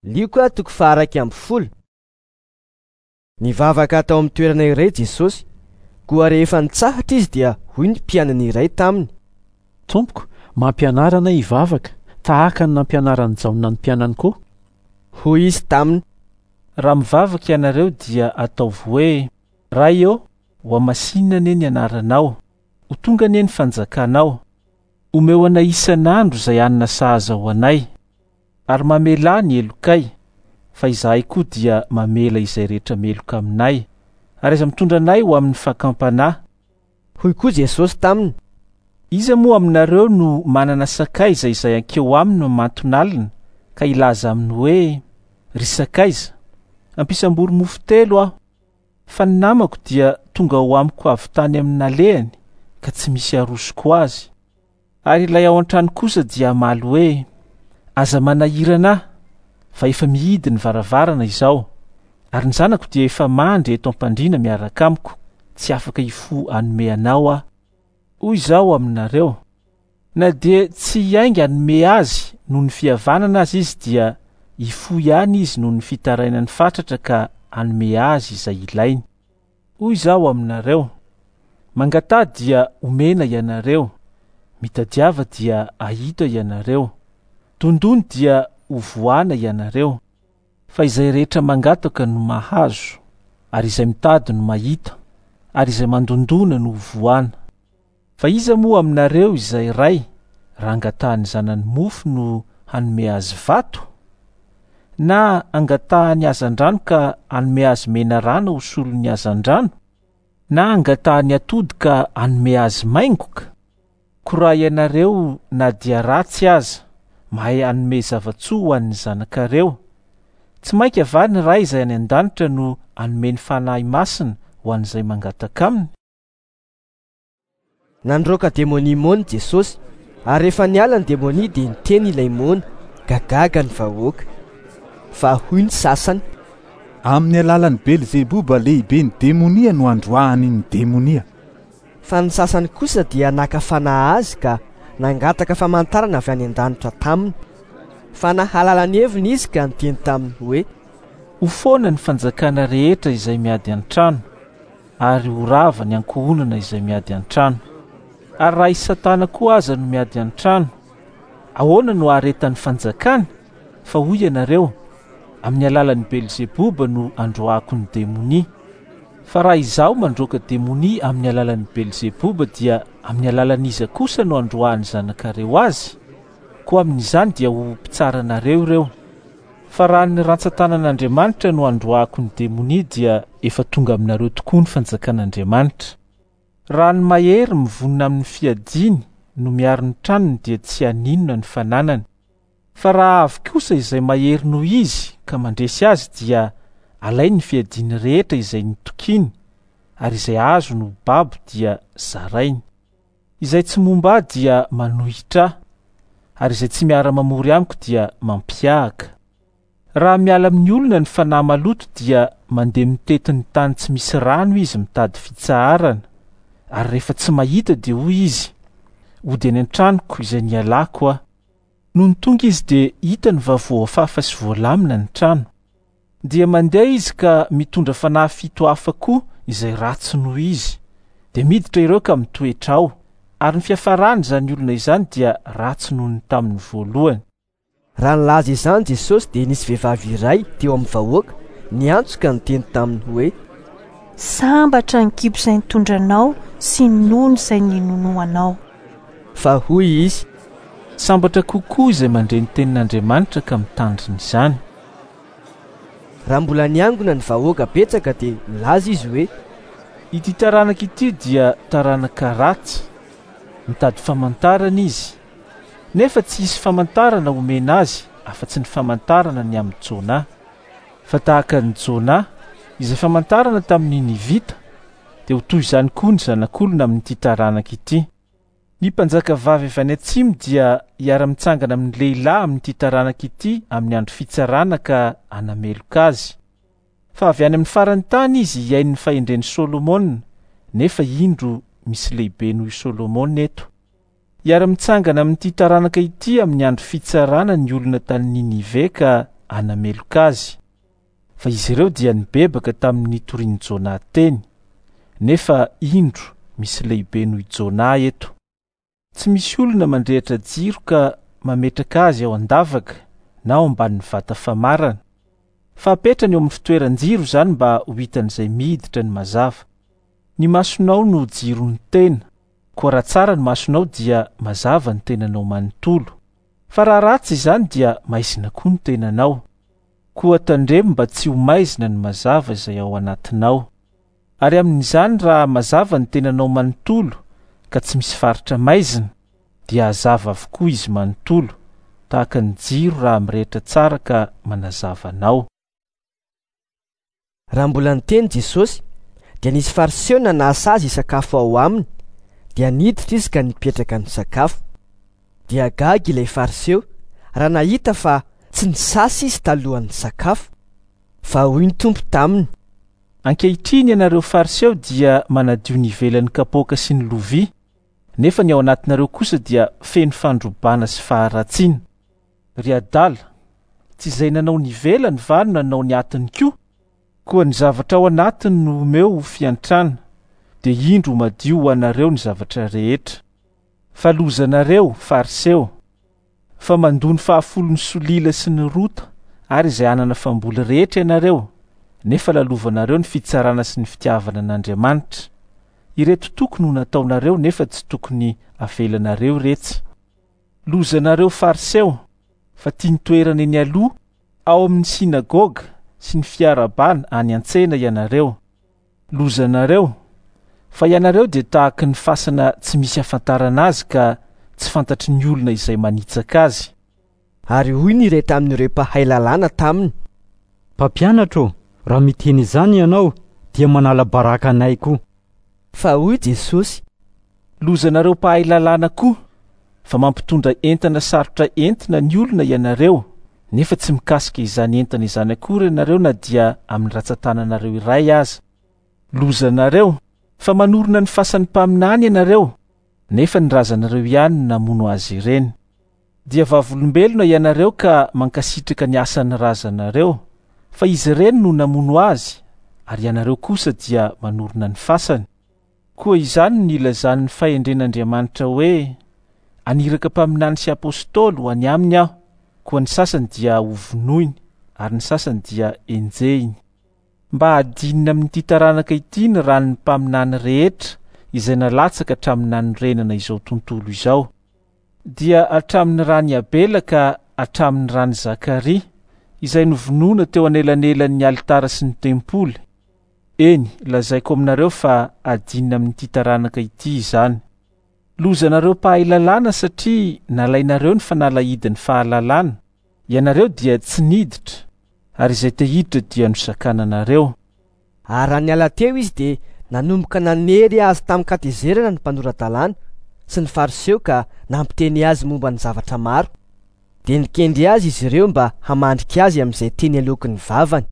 Lioka toko faha-11. Nivavaka tao amin'ny toerana iray Jesosy, koa rehefa nitsahatra izy dia hoy ny mpianany iray taminy. Tompoko, mampianara anay hivavaka, tahaka ny nampianaran'i Jaona ny mpianany koa. Hoy izy taminy. Raha mivavaka ianareo dia ataovy hoe, Ray ô, hohamasinina anie ny anaranao, ho tonga anie ny fanjakanao. Omeo anay isan'andro izay hanina sahaza ho anay. Ary mamelà ny helokay, fa izahay koa dia mamela izay rehetra meloka aminay, ary aza mitondra anay ho amin'ny fakam-panahy. Hoy koa Jesosy taminy. Iza moa aminareo no manana sakaiza izay hankeo aminy mamanton'alina ka hilaza aminy hoe, Ry sakaiza, ampisambory mofo telo aho, fa ny namako dia tonga ho amiko avy tany amin'ny nalehany ka tsy misy arosoko azy. Ary ilay ao an-trano kosa dia hamaly hoe, Aza manahirana ahy, fa efa mihidy ny varavarana izao, ary ny zanako dia efa mandry eto am-pandriana miaraka amiko, tsy afaka hifoha hanome anao aho. Hoy izaho aminareo, na dia tsy hiainga hanome azy noho ny fihavanana aza izy dia hifoha ihany izy noho ny fitarainany fatratra ka hanome azy izay ilainy. Hoy izaho aminareo, Mangataha dia homena ianareo, mitadiava dia hahita ianareo, dondony dia hovohana ianareo. Fa izay rehetra mangataka no mahazo, ary izay mitady no mahita, ary izay mandondona no hovohana. Fa iza moa aminareo izay ray, raha angatahan'ny zanany mofo no hanome azy vato? Na angatahany hazandrano ka hanome azy menarana ho solon'ny hazandrano? Na angatahany atody ka hanome azy maingoka? Koa raha ianareo na dia ratsy aza, mahay hanome zava-tsoa ho an'ny zanakareo, tsy mainka va ny Ray izay any an-danitra no hanome ny Fanahy Masina ho an'izay mangataka aminy? Nandroaka demonia moana Jesosy, ary rehefa niala ny demonia dia niteny ilay moana, ka gaga ny vahoaka. Fa hoy ny sasany. Amin'ny alalan'i Belzeboba lehiben'ny demonia no androahany ny demonia. Fa ny sasany kosa dia naka fanahy azy ka nangataka famantarana avy any an-danitra taminy. Fa nahalala ny heviny izy ka niteny taminy hoe. Ho foana ny fanjakana rehetra izay miady an-trano. ary ho rava ny ankohonana izay miady an-trano. Ary raha i Satana koa aza no miady an-trano, ahoana no haharetan'ny fanjakany? Fa hoy ianareo, Amin'ny alalan'i Belzeboba no androahako ny demonia. Fa raha izaho mandroaka demonia amin'ny alalan'i Belzeboba dia amin'ny alalan'iza kosa no androahan'ny zanakareo azy? Koa amin'izany dia ho mpitsara anareo ireo. Fa raha ny rantsan-tanan'Andriamanitra no androahako ny demonia dia efa tonga aminareo tokoa ny fanjakan'Andriamanitra. Raha ny mahery mivonona amin'ny fiadiany no miaro ny tranony dia tsy haninona ny fananany. Fa raha avy kosa izay mahery noho izy ka mandresy azy dia alainy ny fiadiany rehetra izay nitokiany ary izay azony ho babo dia zarainy. Izay tsy momba ahy dia manohitra ahy, ary izay tsy miara-mamory amiko dia mampiahaka. Raha miala amin'ny olona ny fanahy maloto dia mandeha mitety ny tany tsy misy rano izy mitady fitsaharana, ary rehefa tsy mahita dia hoy izy, Hody any an-tranoko izay nialako aho. Nony tonga izy dia hitany va voafafa sy voalamina ny trano. Dia mandeha izy ka mitondra fanahy fito hafa koa izay ratsy noho izy. Dia miditra ireo ka mitoetra ao, ary ny fiafarany izany olona izany dia ratsy noho ny tamin'ny voalohany. Raha nilaza izany Jesosy dia nisy vehivavy iray teo amin'ny vahoaka niantso ka niteny taminy hoe. Sambatra ny kibo izay nitondra anao sy ny nono izay ninonoanao. Fa hoy izy. Sambatra kokoa izay mandre ny tenin'Andriamanitra ka mitandrina izany. Raha mbola niangona ny vahoaka betsaka dia nilaza izy hoe. Ity taranaka ity dia taranaka ratsy, mitady famantarana izy, nefa tsy hisy famantarana homena azy afa-tsy ny famantarana ny amin'i Jonà. Fa tahaka an'i Jonà, izay famantarana tamin'ny Ninivita, dia ho toy izany koa ny Zanak'olona amin'ity taranaka ity. Ny mpanjaka vavy avy any atsimo dia hiara-mitsangana amin'ny lehilahy amin'ity taranaka ity amin'ny andro fitsarana ka hanameloka azy. Fa avy any amin'ny faran'ny tany izy hihaino ny fahendren'i Solomona, nefa indro misy lehibe noho i Solomona eto. Hiara-mitsangana amin'ity taranaka ity amin'ny andro fitsarana ny olona tany Ninive ka. hanameloka azy. Fa izy ireo dia nibebaka tamin'ny nitorian'i Jonà teny, nefa indro misy lehibe noho i Jonà eto. Tsy misy olona mandrehitra jiro ka mametraka azy ao an-davaka na ao ambanin'ny vata famarana. Fa apetrany eo amin'ny fitoeran-jiro izany mba ho hitan'izay miditra ny mazava. Ny masonao no jiron'ny tena, koa raha tsara ny masonao dia mazava ny tenanao manontolo. Fa raha ratsy izany dia maizina koa ny tenanao. Koa tandremo mba tsy ho maizina ny mazava izay ao anatinao. Ary amin'izany raha mazava ny tenanao manontolo ka tsy misy faritra maizina, dia hazava avokoa izy manontolo, tahaka ny jiro raha mirehitra tsara ka manazava anao. Raha mbola niteny Jesosy, dia nisy Fariseo nanasa azy hisakafo ao aminy, dia niditra izy ka nipetraka nisakafo. Dia gaga ilay Fariseo raha nahita fa tsy nisasa izy talohan'ny sakafo. Fa hoy ny Tompo taminy. Ankehitriny ianareo Fariseo dia manadio ny ivelan'ny kapoaka sy ny lovia, nefa ny ao anatinareo kosa dia feno fandrobana sy faharatsiana. Ry adala, tsy izay nanao ny ivelany va no nanao ny atiny koa? Koa ny zavatra ao anatiny no omeo ho fiantrana, dia indro ho madio ho anareo ny zavatra rehetra. Fa lozanareo, Fariseo, fa mandoa ny fahafolon'ny solila sy ny rota ary izay anana famboly rehetra ianareo, nefa lalovanareo ny fitsarana sy ny fitiavana an'Andriamanitra. Ireto tokony ho nataonareo nefa tsy tokony avelanareo iretsy. Lozanareo Fariseo, fa tia ny toerana eny aloha ao amin'ny synagoga sy ny fiarahabana any an-tsena ianareo. Lozanareo, fa ianareo dia tahaky ny fasana tsy misy ahafantarana azy ka tsy fantatry ny olona izay manitsaka azy. Ary hoy ny iray tamin'ireo mpahay lalàna taminy. Mpampianatra ô, raha miteny izany ianao, dia manala baraka anay koa. Fa hoy Jesosy. Lozanareo mpahay lalàna koa, fa mampitondra entana sarotra entina ny olona ianareo, nefa tsy mikasika izany entana izany akory ianareo na dia amin'ny ratsan-tananareo iray aza. Lozanareo, fa manorina ny fasan'ny mpaminany ianareo, nefa ny razanareo ihany no namono azy ireny. Dia vavolombelona ianareo ka mankasitraka ny asan'ny razanareo, fa izy ireny no namono azy, ary ianareo kosa dia manorina ny fasany. Koa izany no nilazan'ny fahendren'Andriamanitra hoe, Haniraka mpaminany sy apostoly ho any aminy aho, koa ny sasany dia hovonoiny, ary ny sasany dia henjehiny. Mba hadinina amin'ity taranaka ity ny ran'ny mpaminany rehetra izay nalatsaka hatramin'ny nanorenana izao tontolo izao, dia hatramin'ny ran'i Abela ka hatramin'ny ran'i Zakaria, izay novonoina teo anelanelan'ny alitara sy ny tempoly. Eny, lazaiko aminareo fa hadinina amin'ity taranaka ity izany. Lozanareo mpahay lalàna satria nalainareo ny fanalahidin'ny fahalalana, ianareo dia tsy niditra, ary izay te hiditra dia nosakananareo. Ary raha niala teo izy dia nanomboka nanery azy tamin-katezerana ny mpanora-dalàna sy ny Fariseo ka nampiteny azy momba ny zavatra maro. Dia nikendry azy izy ireo mba hamandrika azy amin'izay teny aloaky ny vavany.